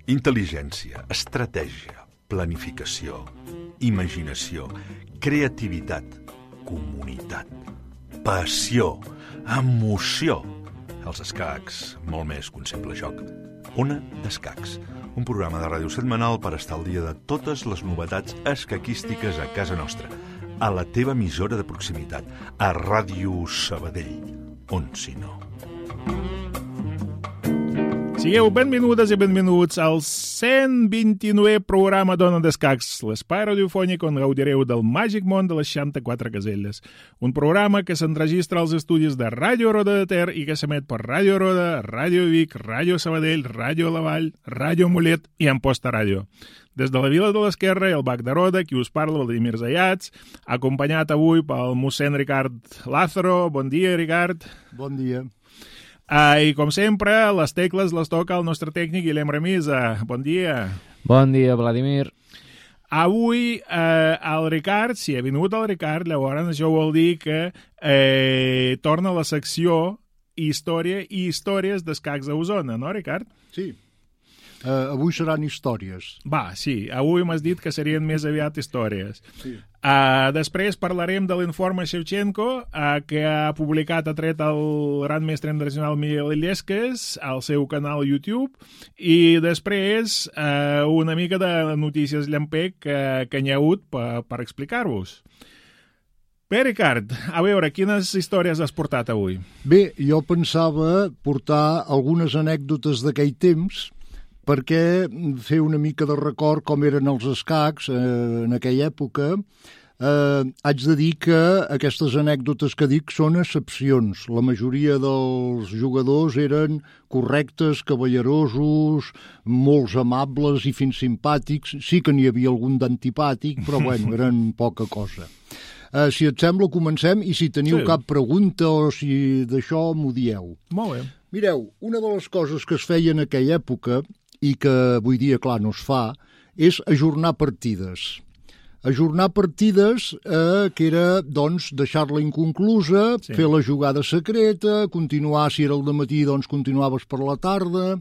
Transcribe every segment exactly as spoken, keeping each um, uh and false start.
Intel·ligència, estratègia, planificació, imaginació, creativitat, comunitat, passió, emoció. Els escacs, molt més que un simple joc. Ona d'Escacs, un programa de ràdio setmanal per estar al dia de totes les novetats escaquístiques a casa nostra, a la teva emissora de proximitat, a Ràdio Sabadell, on si no. Sigueu benvingudes i benvinguts al cent vint-i-novè programa d'Ona d'Escacs, l'espai radiofònic on gaudireu del màgic món de les seixanta-quatre caselles. Un programa que s'enregistra als estudis de Ràdio Roda de Ter i que s'emet per Ràdio Roda, Ràdio Vic, Ràdio Sabadell, Ràdio La Vall, Ràdio Mollet i Amposta Ràdio. Des de la Vila de l'Esquerra i el Bac de Roda, qui us parla, Vladimir Zayats, acompanyat avui pel mossèn Ricard Lázaro. Bon dia, Ricard. Bon dia. Uh, I, com sempre, les tecles les toca el nostre tècnic Guillem Remisa. Bon dia. Bon dia, Vladimir. Avui, eh, el Ricard, si ha vingut el Ricard, llavors això vol dir que eh, torna a la secció Història i Històries d'Escacs a Osona, no, Ricard? Sí. Uh, avui seran històries. Va, sí. Avui m'has dit que serien més aviat històries. Sí. Uh, després parlarem de l'informe Shevchenko, uh, que ha publicat, ha tret el gran mestre internacional Miguel Illescas al seu canal YouTube, i després uh, una mica de notícies llampec que, que n'hi ha hagut per, per explicar-vos. Bé, Ricard, a veure, quines històries has portat avui? Bé, jo pensava portar algunes anècdotes d'aquell temps perquè fer una mica de record com eren els escacs eh, en aquella època. Eh, haig de dir que aquestes anècdotes que dic són excepcions. La majoria dels jugadors eren correctes, cavallerosos, molts amables i fins simpàtics. Sí que n'hi havia algun d'antipàtic, però bueno, eren poca cosa. Uh, si et sembla, comencem, i si teniu sí. cap pregunta o si d'això m'ho dieu. Molt bé. Mireu, una de les coses que es feia en aquella època i que avui dia, clar, no es fa, és ajornar partides. Ajornar partides eh, que era, doncs, deixar-la inconclusa, sí. fer la jugada secreta, continuar, si era el dematí, doncs continuaves per la tarda,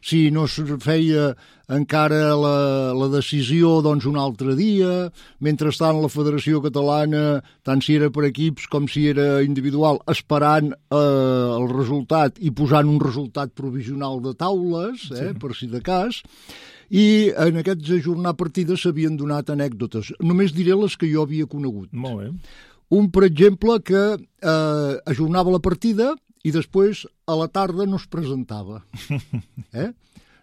si no es feia encara la, la decisió, doncs un altre dia. Mentrestant, la Federació Catalana, tant si era per equips com si era individual, esperant eh, el resultat i posant un resultat provisional de taules, eh, sí. per si de cas. I en aquests ajornar partides s'havien donat anècdotes. Només diré les que jo havia conegut. Molt bé. Un, per exemple, que eh, ajornava la partida i després a la tarda no es presentava. Eh?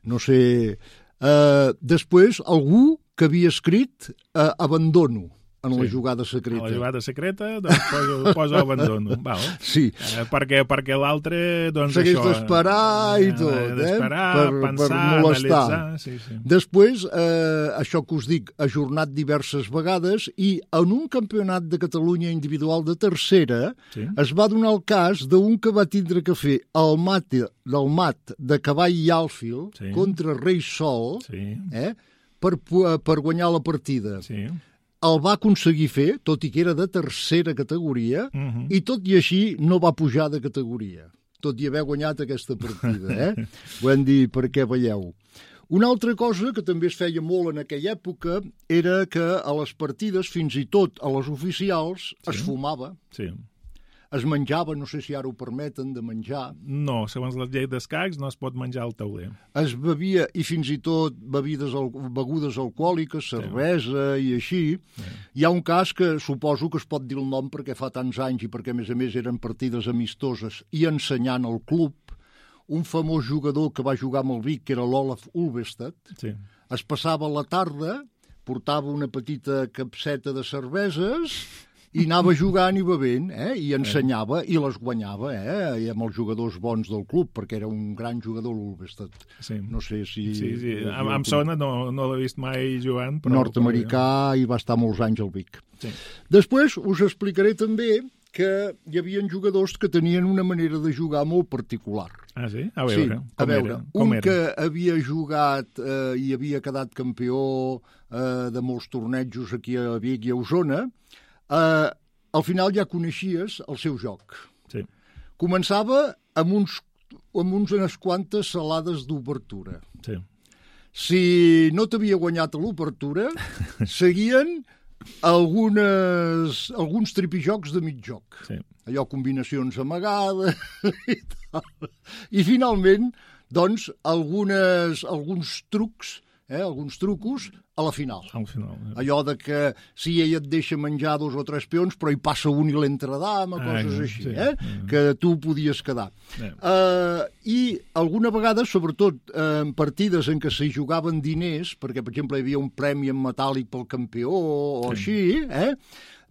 No sé... Eh, després, algú que havia escrit eh, abandono en sí. la jugada secreta. A la jugada secreta, doncs poso, poso abandono. Val. Sí. Eh, perquè perquè l'altre, doncs Segueix això... d'esperar i tot, eh? D'esperar, per, pensar, per molestar. analitzar... Sí, sí. Després, eh, això que us dic, ajornat diverses vegades, i en un campionat de Catalunya individual de tercera sí. es va donar el cas d'un que va tindre que fer el mat, del mat de Cavall i Alfil sí. contra Rei Sol sí. eh, per, per guanyar la partida. Sí. El va aconseguir fer, tot i que era de tercera categoria, uh-huh. i tot i així no va pujar de categoria, tot i haver guanyat aquesta partida. Eh? Ho hem dit perquè veieu. Una altra cosa que també es feia molt en aquella època era que a les partides, fins i tot a les oficials, sí. es fumava. Sí. Es menjava, no sé si ara ho permeten, de menjar. No, segons la llei d'escacs no es pot menjar al tauler. Es bevia, i fins i tot bebides, begudes alcohòliques, cervesa sí. i així. Sí. Hi ha un cas que suposo que es pot dir el nom perquè fa tants anys i perquè, a més a més, eren partides amistoses i ensenyant al club. Un famós jugador que va jugar amb el Vic, que era l'Olaf Ulvestad, sí. es passava la tarda, portava una petita capseta de cerveses... i anava jugant i bevent, eh? I ensenyava, i les guanyava, eh? I amb els jugadors bons del club, perquè era un gran jugador, l'Ulvestad. Sí. No sé si... Sí, sí. Em, em sona, no, no l'he vist mai jugant, però... Nord-americà, i va estar molts anys al Vic. Sí. Després us explicaré també que hi havia jugadors que tenien una manera de jugar molt particular. Ah, sí? A veure, sí, com a veure. era? Com un era? que havia jugat eh, i havia quedat campió eh, de molts tornejos aquí a Vic i a Osona, eh, al final ja coneixies el seu joc. Sí. Començava amb, uns, amb uns, unes quantes salades d'obertura. Sí. si no t'havia guanyat a l'obertura, seguien algunes, alguns tripijocs de mig joc. Sí. Allò, combinacions amagades i tal. I finalment, doncs, algunes, alguns trucs, eh, alguns trucos a la final. Al final. Ja. Allò de que si ella et deixa menjar dos o tres peons, però hi passa un i l'entredama, coses ah, així, sí, eh? Sí. Que tu podies quedar. Sí. Uh, I alguna vegada, sobretot uh, en partides en què s'hi jugaven diners, perquè, per exemple, hi havia un premi en metàl·lic pel campió o sí. així, eh?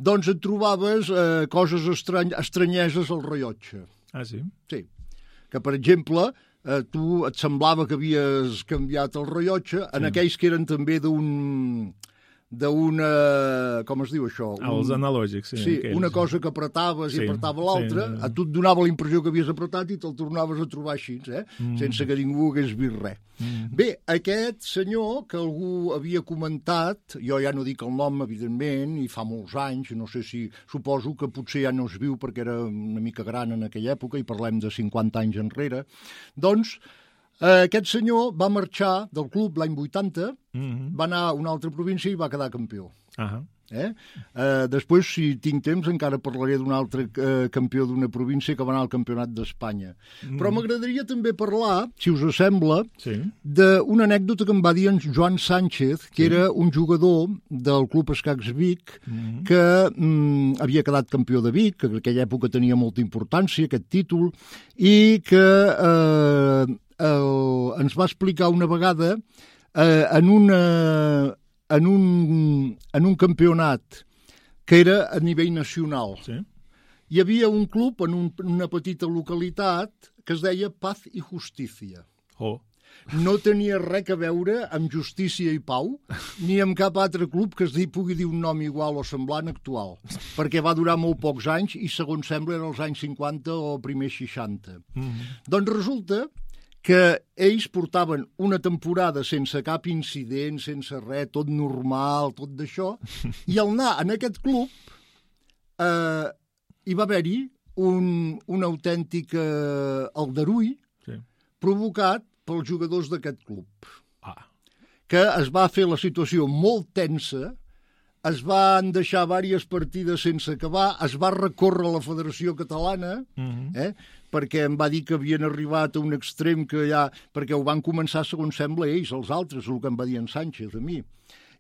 Doncs et trobaves uh, coses estrany estranyeses al rellotge. Ah, sí? Sí. Que, per exemple, eh, tu et semblava que havies canviat el rellotge, en sí. aquells que eren també d'un... d'una... com es diu això? Un, els analògics, sí. Sí, aquells. Una cosa que apretaves sí, i apretava l'altra, sí, sí. a tu et donava la impressió que havies apretat i te'l tornaves a trobar així, eh? Mm. Sense que ningú hagués vist res. Mm. Bé, aquest senyor que algú havia comentat, jo ja no dic el nom, evidentment, i fa molts anys, no sé si... Suposo que potser ja no es viu perquè era una mica gran en aquella època, i parlem de cinquanta anys enrere, doncs... Eh, aquest senyor va marxar del club l'any vuitanta, mm-hmm. va anar a una altra província i va quedar campió. Uh-huh. eh? Eh, després, si tinc temps, encara parlaré d'un altre eh, campió d'una província que va anar al Campionat d'Espanya. Mm. Però m'agradaria també parlar, si us sembla, sí. d'una anècdota que em va dir en Joan Sánchez, que sí. era un jugador del Club Escacs Vic, mm. que mm, havia quedat campió de Vic, que en aquella època tenia molta importància, aquest títol, i que... Eh, El, ens va explicar una vegada eh, en, una, en, un, en un campionat que era a nivell nacional. Sí. Hi havia un club en un, una petita localitat que es deia Paz i Justícia. Oh. No tenia res a veure amb Justícia i Pau, ni amb cap altre club que es di, pugui dir un nom igual o semblant actual, perquè va durar molt pocs anys i, segons sembla, eren els anys cinquanta o primers seixanta. Mm-hmm. Doncs resulta que ells portaven una temporada sense cap incident, sense res, tot normal, tot d'això, i al anar en aquest club eh, hi va haver-hi un, un autèntic eh, aldarull sí. provocat pels jugadors d'aquest club, ah. que es va fer la situació molt tensa, es van deixar diverses partides sense acabar, es va recórrer a la Federació Catalana, mm-hmm. eh, perquè em va dir que havien arribat a un extrem que ja... perquè ho van començar, segons sembla, ells, els altres, el que em va dir en Sánchez, a mi.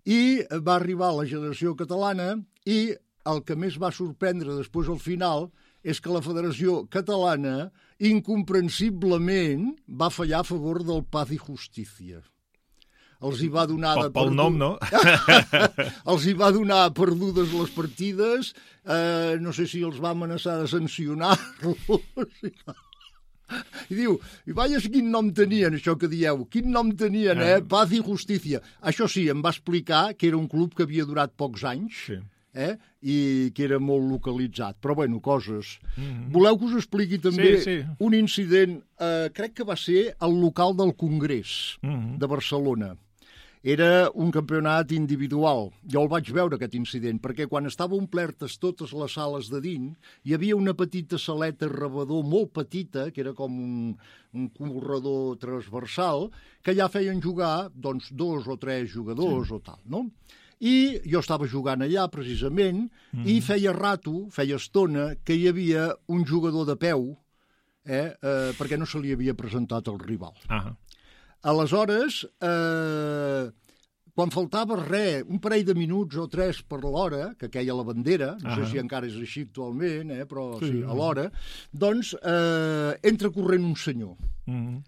I va arribar a la Federació Catalana i el que més va sorprendre després al final és que la Federació Catalana, incomprensiblement, va fallar a favor del Paz i Justícia. Els hi va donar... Pel, pel nom, no? Els hi va donar perdudes les partides, eh, no sé si els va amenaçar de sancionar-los. I diu, i veies quin nom tenien, això que dieu, quin nom tenien, eh? Paz i Justícia. Això sí, em va explicar que era un club que havia durat pocs anys, sí. eh? I que era molt localitzat. Però, bueno, coses. Mm-hmm. Voleu que us expliqui també sí, sí. un incident, eh, crec que va ser al local del Congrés mm-hmm. de Barcelona. Era un campionat individual. Jo el vaig veure, aquest incident, perquè quan estava omplertes totes les sales de dins, hi havia una petita saleta rebedor molt petita, que era com un, un corredor transversal, que ja feien jugar doncs, dos o tres jugadors sí. o tal, no? I jo estava jugant allà, precisament, mm. i feia rato, feia estona, que hi havia un jugador de peu, eh, eh, perquè no se li havia presentat el rival. Ah. Aleshores, eh, quan faltava res, un parell de minuts o tres per l'hora, que queia la bandera, no uh-huh. sé si encara és així actualment, eh, però sí, sí a l'hora, doncs eh, entra corrent un senyor. Uh-huh.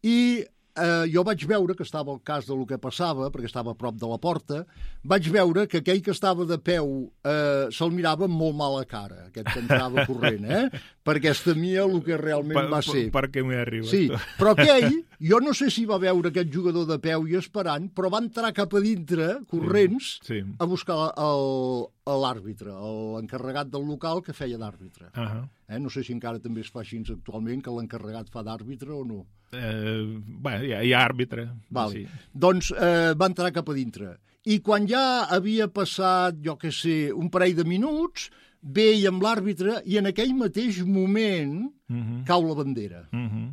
I eh, jo vaig veure que estava al cas del que passava, perquè estava a prop de la porta, vaig veure que aquell que estava de peu eh, se'l mirava amb molt mala cara, aquest que entrava corrent, eh? Perquè es temia el que realment per, va ser. Per, per què m'hi arriba? Sí, però aquell, jo no sé si va veure aquest jugador de peu i esperant, però va entrar cap a dintre, corrents, sí, sí. a buscar l'àrbitre, l'encarregat del local que feia d'àrbitre. Uh-huh. eh? No sé si encara també es fa així actualment, que l'encarregat fa d'àrbitre o no. Eh, bé, hi ha, hi ha àrbitre. Vale. Sí. Doncs eh, va entrar cap a dintre. I quan ja havia passat, jo què sé, un parell de minuts, ve i amb l'àrbitre, i en aquell mateix moment uh-huh. cau la bandera. Uh-huh.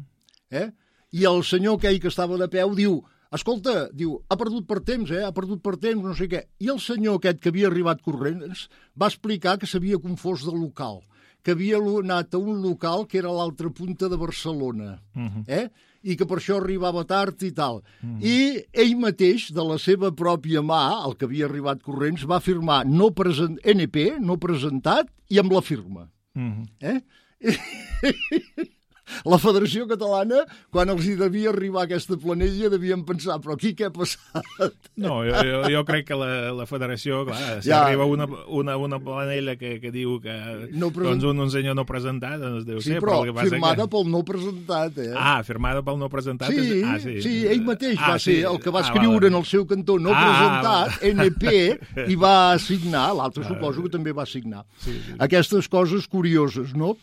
eh? I el senyor aquell que estava de peu diu, escolta, diu, ha perdut per temps, eh? Ha perdut per temps, no sé què. I el senyor aquest que havia arribat corrents va explicar que s'havia confós de local, que havia anat a un local que era a l'altra punta de Barcelona, uh-huh. eh? I que per això arribava tard i tal. Uh-huh. I ell mateix, de la seva pròpia mà, el que havia arribat corrents, va firmar no present... N P, no presentat, i amb la firma. Uh-huh. Eh? La Federació Catalana, quan els hi devia arribar aquesta planella, devien pensar, però aquí què ha passat? No, jo, jo, jo crec que la, la Federació, clar, si ja. arriba una, una, una planella que, que diu que no present... doncs un, un senyor no presentat, doncs deu sí, ser. Però, però firmada que... pel no presentat, eh? Ah, firmada pel no presentat? Sí, és... ah, sí. sí, ell mateix ah, va ser sí. el que va ah, escriure va, en el seu cantó no ah, presentat, va. N P, i va signar, l'altre ah, suposo que també va signar. Sí, sí. Aquestes coses curioses, no?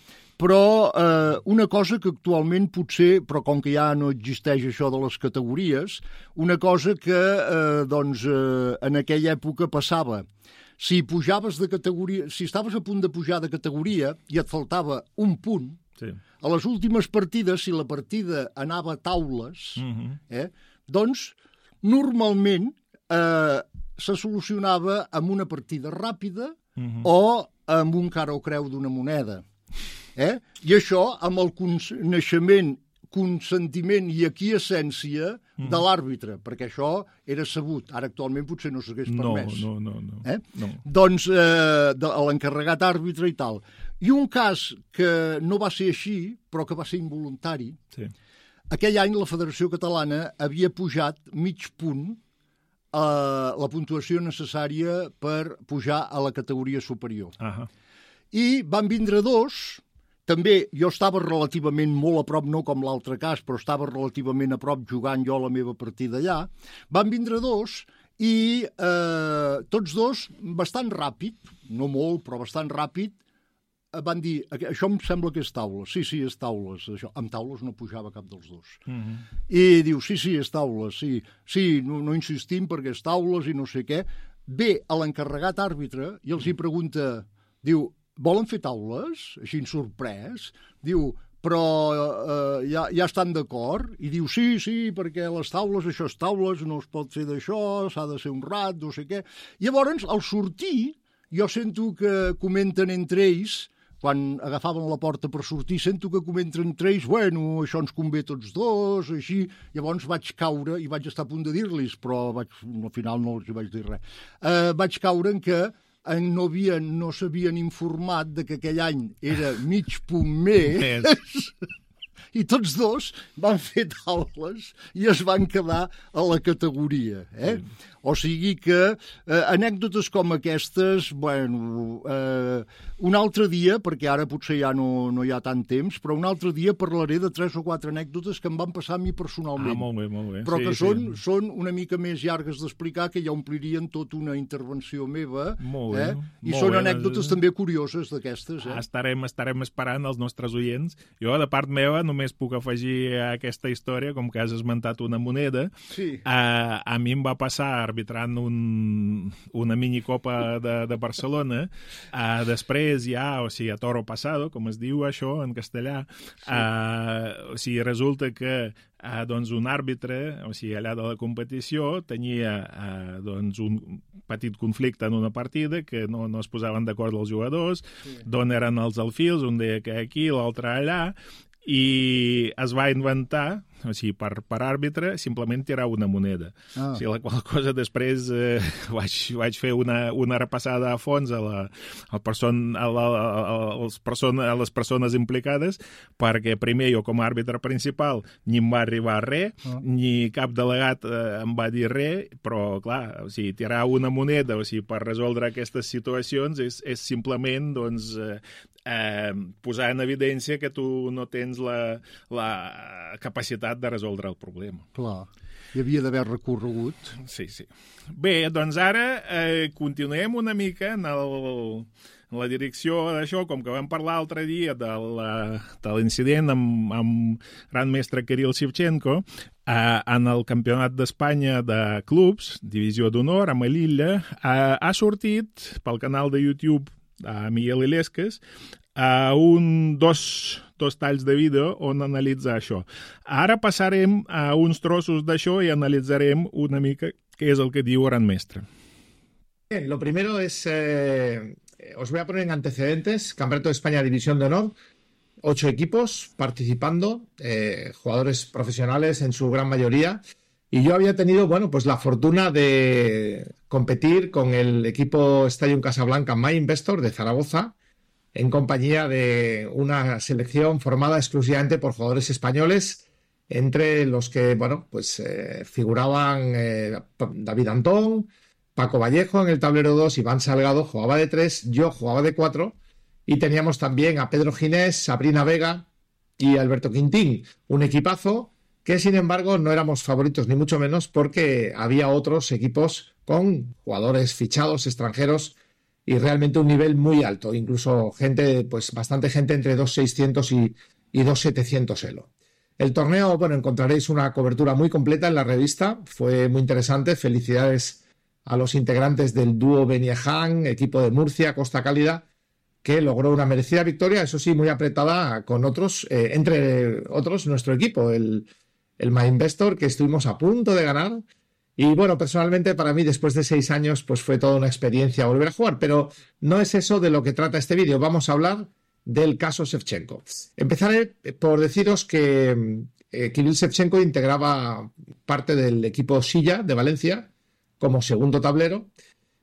Però eh, una cosa que actualment potser, però com que ja no existeix això de les categories, una cosa que eh, doncs, eh, en aquella època passava. Si pujaves de categoria, si estaves a punt de pujar de categoria i et faltava un punt, sí. a les últimes partides, si la partida anava a taules, uh-huh. eh, doncs normalment eh, se solucionava amb una partida ràpida uh-huh. o amb un cara o creu d'una moneda. Eh? I això amb el coneixement, consentiment i aquiescència mm. de l'àrbitre, perquè això era sabut. Ara actualment potser no s'hagués permès. No, no, no. no. Eh? no. Doncs eh, de, l'encarregat àrbitre i tal. I un cas que no va ser així, però que va ser involuntari, sí. aquell any la Federació Catalana havia pujat mig punt a la puntuació necessària per pujar a la categoria superior. Uh-huh. I van vindre dos... També jo estava relativament molt a prop, no com l'altre cas, però estava relativament a prop jugant jo la meva partida allà. Van vindre dos i eh, tots dos bastant ràpid, no molt, però bastant ràpid, van dir, això em sembla que és taules. Sí, sí, és taules. Això. Amb taules no pujava cap dels dos. Uh-huh. I diu, sí, sí, és taules, sí. Sí, no, no insistim perquè és taules i no sé què. Ve a l'encarregat àrbitre i els hi pregunta, diu, volen fer taules? Així sorprès. Diu, però eh, ja, ja estan d'acord? I diu, sí, sí, perquè les taules, això és taules, no es pot fer d'això, s'ha de ser honrat, no sé què. Llavors, al sortir, jo sento que comenten entre ells, quan agafaven la porta per sortir, sento que comenten entre ells, bueno, això ens convé tots dos, així. Llavors vaig caure, i vaig estar a punt de dir-los, però vaig, al final no els vaig dir res. Eh, vaig caure en que no havien, no s'havien informat de que aquell any era mig punt més i tots dos van fer taules i es van quedar a la categoria. Eh? Sí. O sigui que eh, anècdotes com aquestes, bueno, eh, un altre dia, perquè ara potser ja no, no hi ha tant temps, però un altre dia parlaré de tres o quatre anècdotes que em van passar a mi personalment. Ah, molt bé, molt bé. Però sí, que sí. són, són una mica més llargues d'explicar, que ja omplirien tota una intervenció meva. Molt bé. Eh? I molt són bé, anècdotes doncs... també curioses d'aquestes. Eh? Estarem, estarem esperant els nostres oients. Jo, de part meva, només puc afegir a aquesta història, com que has esmentat una moneda. Sí. A, a mi em va passar arbitrant un, una minicopa de, de Barcelona. Uh, després ja, o sigui, a toro pasado, com es diu això en castellà, sí. uh, o sigui, resulta que uh, doncs un àrbitre, o sigui, allà de la competició, tenia uh, doncs un petit conflicte en una partida, que no, no es posaven d'acord els jugadors, sí. d'on eren els alfils, un deia que aquí, l'altre allà, i es va inventar, o sigui, per, per àrbitre, simplement tirar una moneda. Ah. O sigui, la qual cosa després eh, vaig, vaig fer una, una repassada a fons a, la, a, person, a, la, a, les persona, a les persones implicades, perquè primer jo com a àrbitre principal ni em va arribar res, ah. ni cap delegat eh, em va dir res, però clar, o sigui, tirar una moneda, o sigui, per resoldre aquestes situacions és, és simplement, doncs, eh, eh, posar en evidència que tu no tens la, la capacitat de resoldre el problema. Clar, hi havia d'haver recorregut. Sí, sí. Bé, doncs ara eh, continuem una mica en, el, en la direcció d'això, com que vam parlar l'altre dia de, la, de l'incident amb, amb gran mestre Kirill Shevchenko, eh, en el Campionat d'Espanya de Clubs, Divisió d'Honor, a Melilla, eh, ha sortit pel canal de YouTube a Miguel Illescas, a un, dos, dos talls de vídeo on analitza això. Ara passarem a uns trossos d'això i analitzarem una mica què és el que diu Gran Mestre. Bien, lo primero es, eh, os voy a poner en antecedentes, Campeonato de España División de Honor, ocho equipos participando, eh, jugadores profesionales en su gran mayoría, y yo había tenido, bueno, pues la fortuna de competir con el equipo Stadium Casablanca My Investor de Zaragoza, en compañía de una selección formada exclusivamente por jugadores españoles, entre los que, bueno, pues eh, figuraban eh, David Antón, Paco Vallejo en el tablero dos, Iván Salgado jugaba de tres, yo jugaba de cuatro, y teníamos también a Pedro Ginés, Sabrina Vega y Alberto Quintín, un equipazo que sin embargo no éramos favoritos ni mucho menos porque había otros equipos con jugadores fichados extranjeros y realmente un nivel muy alto, incluso gente, pues bastante gente entre dos mil seiscientos y, y dos mil setecientos elo. El torneo, bueno, encontraréis una cobertura muy completa en la revista, fue muy interesante, felicidades a los integrantes del dúo Beniaján, equipo de Murcia, Costa Cálida, que logró una merecida victoria, eso sí, muy apretada con otros, eh, entre otros nuestro equipo, el, el My Investor, que estuvimos a punto de ganar. Y bueno, personalmente para mí después de seis años pues fue toda una experiencia volver a jugar, pero no es eso de lo que trata este vídeo, vamos a hablar del caso Shevchenko. Empezaré por deciros que eh, Kirill Shevchenko integraba parte del equipo Silla de Valencia como segundo tablero,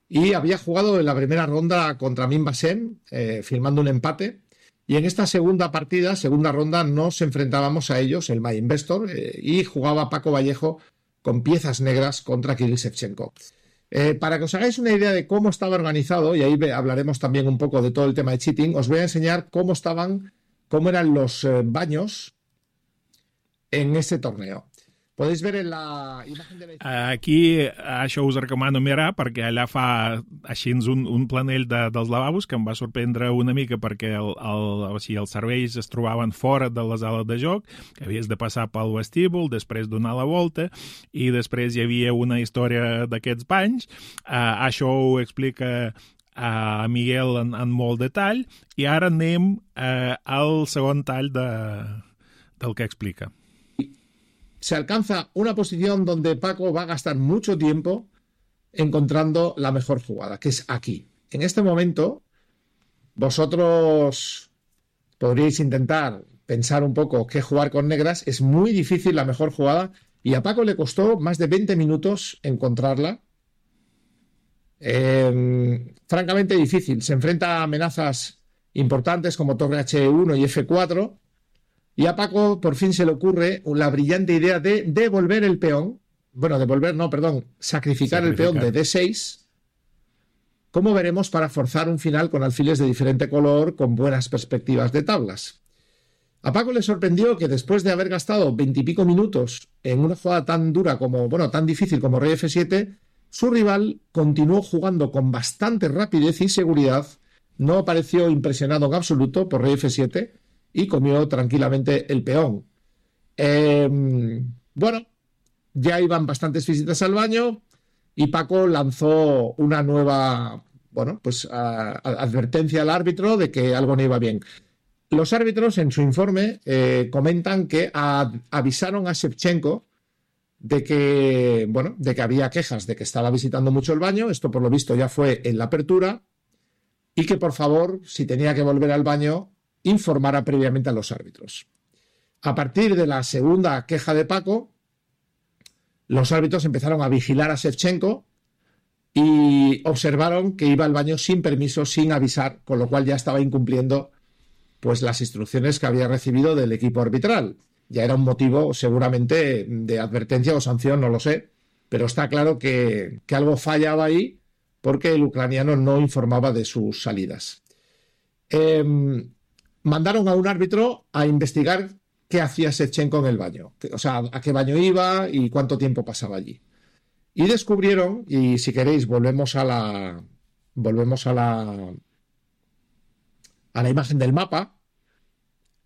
y había jugado en la primera ronda contra Min Basem, eh, firmando un empate. Y en esta segunda partida, segunda ronda, nos enfrentábamos a ellos, el My Investor, eh, y jugaba Paco Vallejo con piezas negras contra Kirill Shevchenko. Eh, para que os hagáis una idea de cómo estaba organizado, y ahí hablaremos también un poco de todo el tema de cheating, os voy a enseñar cómo estaban, cómo eran los eh, baños en ese torneo. Podeu veure en la imatge de la... Aquí això us recomano mirar perquè allà fa així un, un planell de, dels lavabos que em va sorprendre una mica perquè el, el, o sigui, els serveis es trobaven fora de la sala de joc, que havies de passar pel vestíbul, després donar la volta i després hi havia una història d'aquests banys. Uh, això ho explica a Miguel en, en molt detall i ara anem uh, al segon tall de, del que explica. Se alcanza una posición donde Paco va a gastar mucho tiempo encontrando la mejor jugada, que es aquí. En este momento, vosotros podríais intentar pensar un poco qué jugar con negras. Es muy difícil la mejor jugada y a Paco le costó más de veinte minutos encontrarla. Eh, francamente difícil. Se enfrenta a amenazas importantes como torre hache uno y efe cuatro. Y a Paco por fin se le ocurre la brillante idea de devolver el peón, bueno, devolver, no, perdón, sacrificar, sacrificar. el peón de de seis, como veremos, para forzar un final con alfiles de diferente color, con buenas perspectivas de tablas. A Paco le sorprendió que después de haber gastado veintipico minutos en una jugada tan dura como, bueno, tan difícil como rey efe siete, su rival continuó jugando con bastante rapidez y seguridad, no pareció impresionado en absoluto por rey efe siete, y comió tranquilamente el peón. Eh, bueno, ya iban bastantes visitas al baño y Paco lanzó una nueva, bueno, pues a, a, advertencia al árbitro de que algo no iba bien. Los árbitros en su informe eh, comentan que a, avisaron a Shevchenko de que, bueno, de que había quejas de que estaba visitando mucho el baño, esto por lo visto ya fue en la apertura, y que por favor, si tenía que volver al baño, informara previamente a los árbitros. A partir de la segunda queja de Paco, los árbitros empezaron a vigilar a Shevchenko y observaron que iba al baño sin permiso, sin avisar, con lo cual ya estaba incumpliendo pues las instrucciones que había recibido del equipo arbitral. Ya era un motivo seguramente de advertencia o sanción, no lo sé, pero está claro que, que algo fallaba ahí porque el ucraniano no informaba de sus salidas. Eh, mandaron a un árbitro a investigar qué hacía Shevchenko en el baño, o sea, a qué baño iba y cuánto tiempo pasaba allí. Y descubrieron, y si queréis volvemos a la volvemos a la a la imagen del mapa,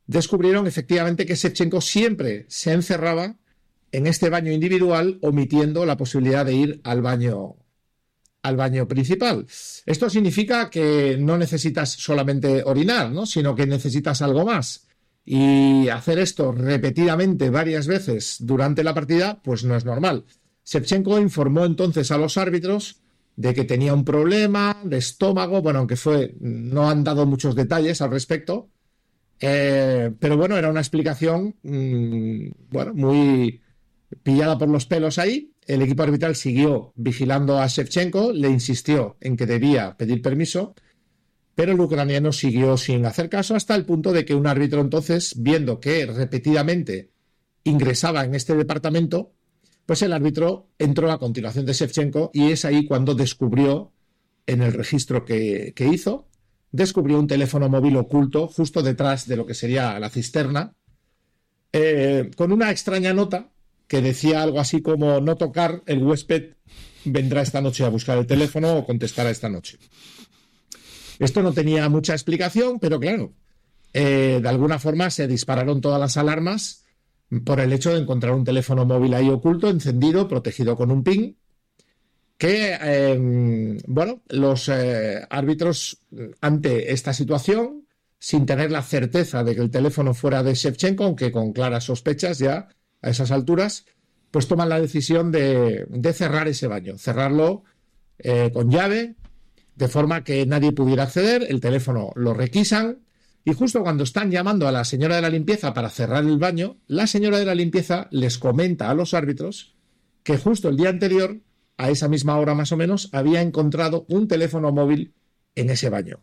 descubrieron efectivamente que Shevchenko siempre se encerraba en este baño individual, omitiendo la posibilidad de ir al baño al baño principal. Esto significa que no necesitas solamente orinar, ¿no? Sino que necesitas algo más. Y hacer esto repetidamente varias veces durante la partida, pues no es normal. Shevchenko informó entonces a los árbitros de que tenía un problema de estómago, bueno, aunque fue, no han dado muchos detalles al respecto, eh, pero bueno, era una explicación, mmm, bueno, muy pillada por los pelos ahí. El equipo arbitral siguió vigilando a Shevchenko, le insistió en que debía pedir permiso, pero el ucraniano siguió sin hacer caso hasta el punto de que un árbitro entonces, viendo que repetidamente ingresaba en este departamento, pues el árbitro entró a continuación de Shevchenko y es ahí cuando descubrió, en el registro que, que hizo, descubrió un teléfono móvil oculto justo detrás de lo que sería la cisterna, eh, con una extraña nota que decía algo así como: no tocar, el huésped vendrá esta noche a buscar el teléfono o contestará esta noche. Esto no tenía mucha explicación, pero claro, eh, de alguna forma se dispararon todas las alarmas por el hecho de encontrar un teléfono móvil ahí oculto, encendido, protegido con un pin, que, eh, bueno, los eh, árbitros, ante esta situación, sin tener la certeza de que el teléfono fuera de Shevchenko, aunque con claras sospechas ya a esas alturas, pues toman la decisión de, de cerrar ese baño, cerrarlo eh, con llave, de forma que nadie pudiera acceder, el teléfono lo requisan. Y justo cuando están llamando a la señora de la limpieza para cerrar el baño, la señora de la limpieza les comenta a los árbitros que justo el día anterior, a esa misma hora más o menos, había encontrado un teléfono móvil en ese baño.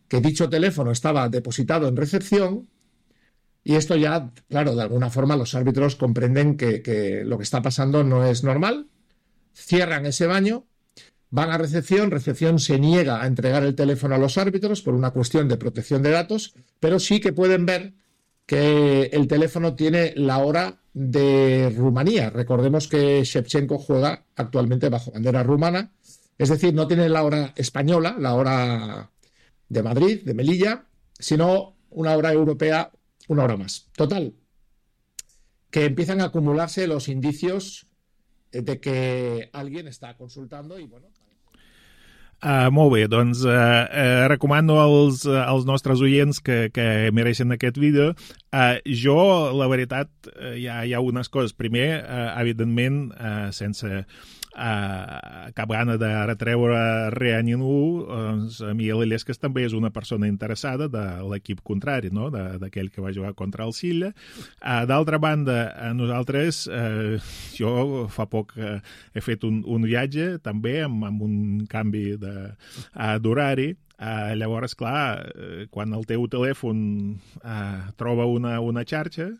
Que dicho teléfono estaba depositado en recepción y esto ya, claro, de alguna forma los árbitros comprenden que, que lo que está pasando no es normal. Cierran ese baño. Van a recepción, recepción se niega a entregar el teléfono a los árbitros por una cuestión de protección de datos, pero sí que pueden ver que el teléfono tiene la hora de Rumanía. Recordemos que Shevchenko juega actualmente bajo bandera rumana, es decir, no tiene la hora española, la hora de Madrid, de Melilla, sino una hora europea, una hora más. Total, que empiezan a acumularse los indicios de que alguien està consultant i, bueno... Uh, molt bé, doncs uh, uh, recomano als, uh, als nostres oients que, que mereixen aquest vídeo. Uh, jo, la veritat, uh, hi, ha, hi ha unes coses. Primer, uh, evidentment, uh, sense uh, cap gana de retreure res a ningú, doncs a mi l'Illescas també és una persona interessada de l'equip contrari, no? D'aquell que va jugar contra el Silla. Uh, D'altra banda, uh, nosaltres, uh, jo fa poc uh, he fet un, un viatge també amb, amb un canvi de Uh, d'horari. Uh, llavors, clar, uh, quan el teu telèfon uh, troba una, una xarxa,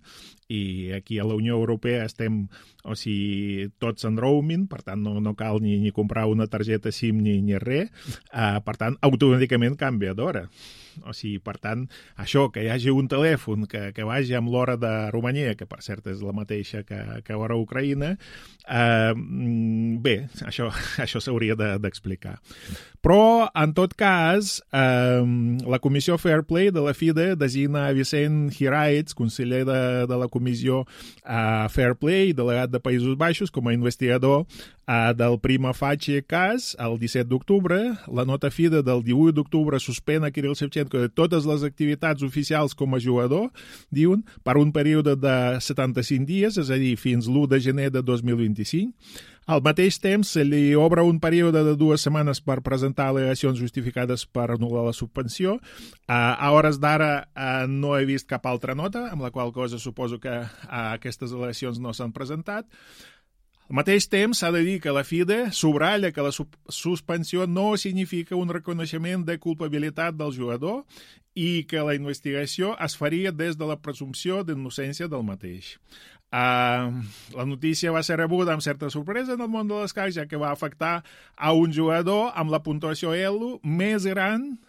i aquí a la Unió Europea estem, o sigui, tots en roaming, per tant no, no cal ni, ni comprar una targeta SIM ni, ni res, uh, per tant automàticament canvia d'hora. O sigui, per tant, això, que hi hagi un telèfon que, que vagi amb l'hora de Romania, que per cert és la mateixa que, que l'hora a Ucraïna, eh, bé, això, això s'hauria d'explicar. Però, en tot cas, eh, la Comissió Fair Play de la FIDE designa Vicent Hiraitz, conseller de, de la Comissió eh, Fair Play, delegat de Països Baixos, com a investigador eh, del prima facie cas el disset d'octubre. La nota FIDE del divuit d'octubre suspèn a Kirill Shevchenko de totes les activitats oficials com a jugador, diuen, per un període de setanta-cinc dies, és a dir, fins l'u de gener de dos mil vint-i-cinc. Al mateix temps, se li obre un període de dues setmanes per presentar al·legacions justificades per anul·lar la suspensió. Uh, a hores d'ara uh, no he vist cap altra nota, amb la qual cosa suposo que uh, aquestes al·legacions no s'han presentat. Al mateix temps, s'ha de dir que la FIDE subratlla que la suspensió no significa un reconeixement de culpabilitat del jugador i que la investigació es faria des de la presumpció d'innocència del mateix. Uh, la notícia va ser rebuda amb certa sorpresa en el món de l'escacs, ja que va afectar a un jugador amb la puntuació ELO més gran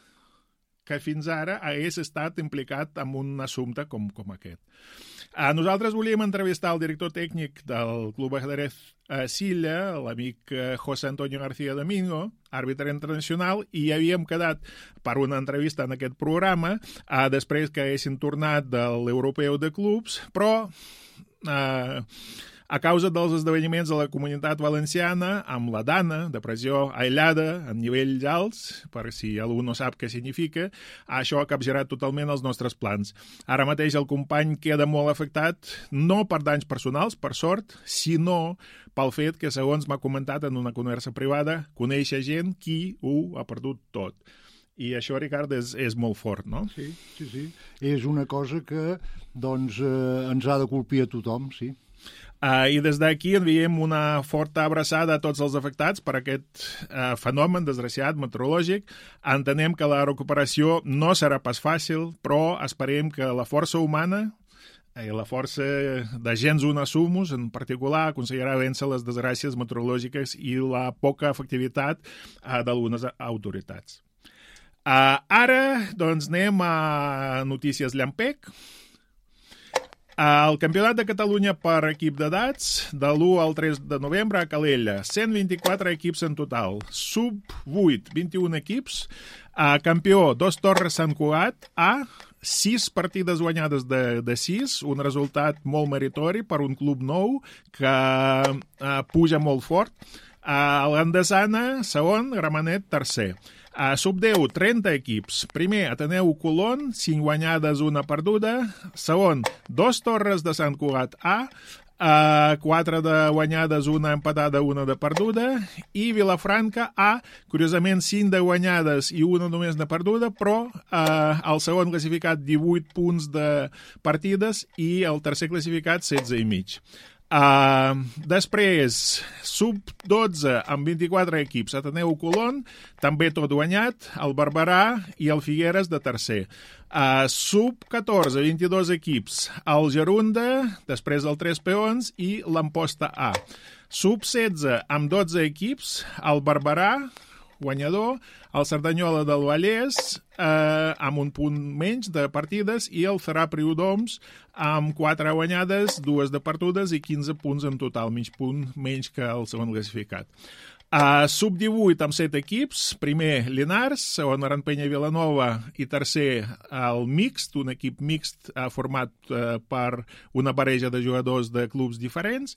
que fins ara hagués estat implicat en un assumpte com, com aquest. Uh, nosaltres volíem entrevistar el director tècnic del Club Ajedrez uh, Silla, l'amic uh, José Antonio García Domingo, àrbitre internacional, i havíem quedat per una entrevista en aquest programa uh, després que haguessin tornat de l'Europeu de Clubs, però uh, A causa dels esdeveniments de la Comunitat Valenciana, amb la Dana, depressió aïllada en nivells alts, per si algú no sap què significa, això ha capgirat totalment els nostres plans. Ara mateix el company queda molt afectat, no per danys personals, per sort, sinó pel fet que, segons m'ha comentat en una conversa privada, coneix gent qui ho ha perdut tot. I això, Ricard, és, és molt fort, no? Sí, sí, sí. És una cosa que doncs, eh, ens ha de colpir a tothom, sí. Uh, I des d'aquí enviem una forta abraçada a tots els afectats per aquest uh, fenomen desgraciat meteorològic. Entenem que la recuperació no serà pas fàcil, però esperem que la força humana i la força de gens una sumus, en particular, aconseguirà vèncer les desgràcies meteorològiques i la poca efectivitat uh, d'algunes autoritats. Uh, ara, doncs, anem a notícies llampec. Uh, el Campionat de Catalunya per equip d'edats, de l'u al tres de novembre a Calella. cent vint-i-quatre equips en total. Sub vuit, vint-i-un equips. Uh, campió, Dos Torres Sant Cugat. A, sis partides guanyades de, de sis, un resultat molt meritori per un club nou que uh, puja molt fort. Uh, L'Andesana, segon, Gramenet, tercer. A sub deu, trenta equips. Primer, Ateneu Colón, cinc guanyades, una perduda. Segon, Dos Torres de Sant Cugat A, uh, quatre de guanyades, una empatada, una de perduda. I Vilafranca A, curiosament, cinc de guanyades i una només de perduda, però uh, el segon classificat, divuit punts de partides, i el tercer classificat, setze i mig. Uh, després, sub dotze amb vint-i-quatre equips, Ateneu Colón, també tot guanyat, el Barberà i el Figueres de tercer. Uh, sub catorze, vint-i-dos equips, el Gerunda, després el Tres Peons i l'Amposta A. Sub setze amb dotze equips, el Barberà, guanyador, el Cerdanyola del Vallès, eh, amb un punt menys de partides, i el Ferà Priodoms amb quatre guanyades, dues de perdudes i quinze punts en total, mig punt menys que el segon classificat. Uh, sub divuit amb set equips, primer Llinars, segon Arantpenya i Vilanova i tercer el Mixt, un equip mixt uh, format uh, per una parella de jugadors de clubs diferents,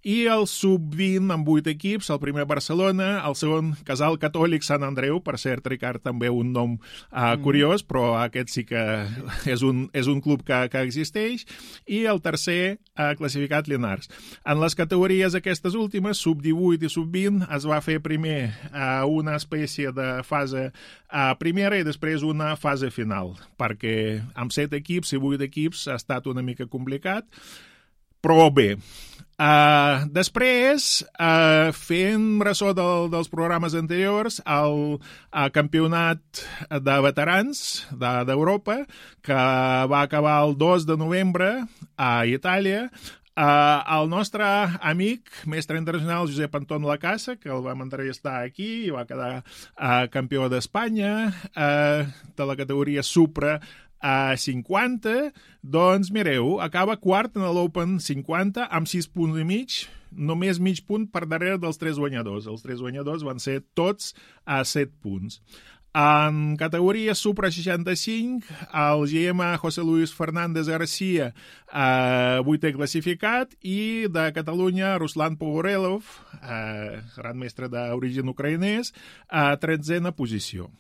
i el sub vint amb vuit equips, el primer Barcelona, el segon Casal Catòlic Sant Andreu, per cert, Ricard, també un nom uh, curiós, però aquest sí que és un, és un club que, que existeix, i el tercer uh, classificat Llinars. En les categories aquestes últimes, sub divuit i sub vint, es va fer primer uh, una espècie de fase uh, primera i després una fase final, perquè amb set equips i vuit equips ha estat una mica complicat, però bé. Uh, després, uh, fent ressò del, dels programes anteriors, el uh, campionat de veterans d'Europa, que va acabar el dos de novembre a Itàlia, Uh, el nostre amic, mestre internacional Josep Anton Lacassa, que el vam entrevistar aquí i va quedar uh, campió d'Espanya uh, de la categoria Supra a cinquanta, doncs mireu, acaba quart en l'Open cinquanta amb sis punts i mig, només mig punt per darrere dels tres guanyadors. Els tres guanyadors van ser tots a set punts. En categoria Supra seixanta-cinc, el G M José Luis Fernández García, eh, vuitè classificat, i de Catalunya, Ruslan Pogorelov, eh, gran mestre d'origen ucraïnès, a tretzena posició.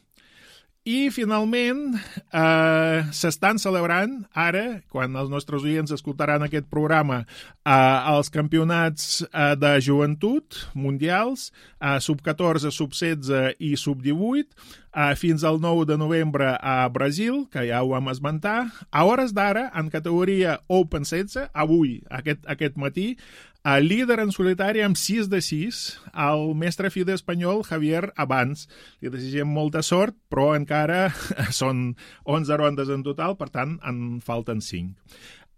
I, finalment, eh, s'estan celebrant ara, quan els nostres oients escoltaran aquest programa, eh, els campionats eh, de joventut mundials, eh, sub catorze, sub setze i sub divuit, eh, fins al nou de novembre a Brasil, que ja ho vam esmentar. A hores d'ara, en categoria Open setze, avui, aquest, aquest matí, el líder en solitari amb sis de sis, el mestre FIDE espanyol Javier Abans. Li desitgem molta sort, però encara són onze rondes en total, per tant, en falten cinc.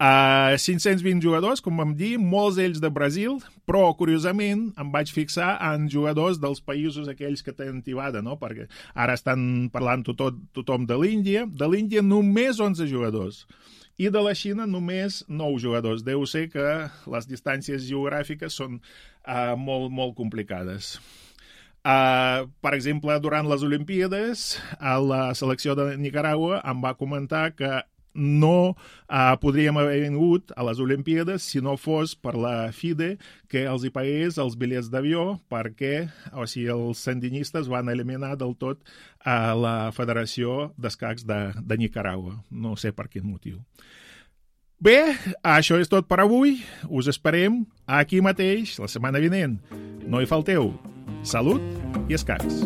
Uh, cinc-cents vint jugadors, com vam dir, molts d'ells de Brasil, però, curiosament, em vaig fixar en jugadors dels països aquells que tenen tibada, no? Perquè ara estan parlant tothom, tothom de l'Índia. De l'Índia només onze jugadors. I de la Xina només nou jugadors. Deu ser que les distàncies geogràfiques són uh, molt, molt complicades. Uh, per exemple, durant les Olimpíades, la selecció de Nicaragua em va comentar que no uh, podríem haver vingut a les Olimpíades si no fos per la FIDE que els hi pagués els bitllets d'avió perquè, o sigui, els sandinistes van eliminar del tot a la Federació d'Escacs de, de Nicaragua. No sé per quin motiu. Bé, això és tot per avui. Us esperem aquí mateix la setmana vinent. No hi falteu. Salut i escacs.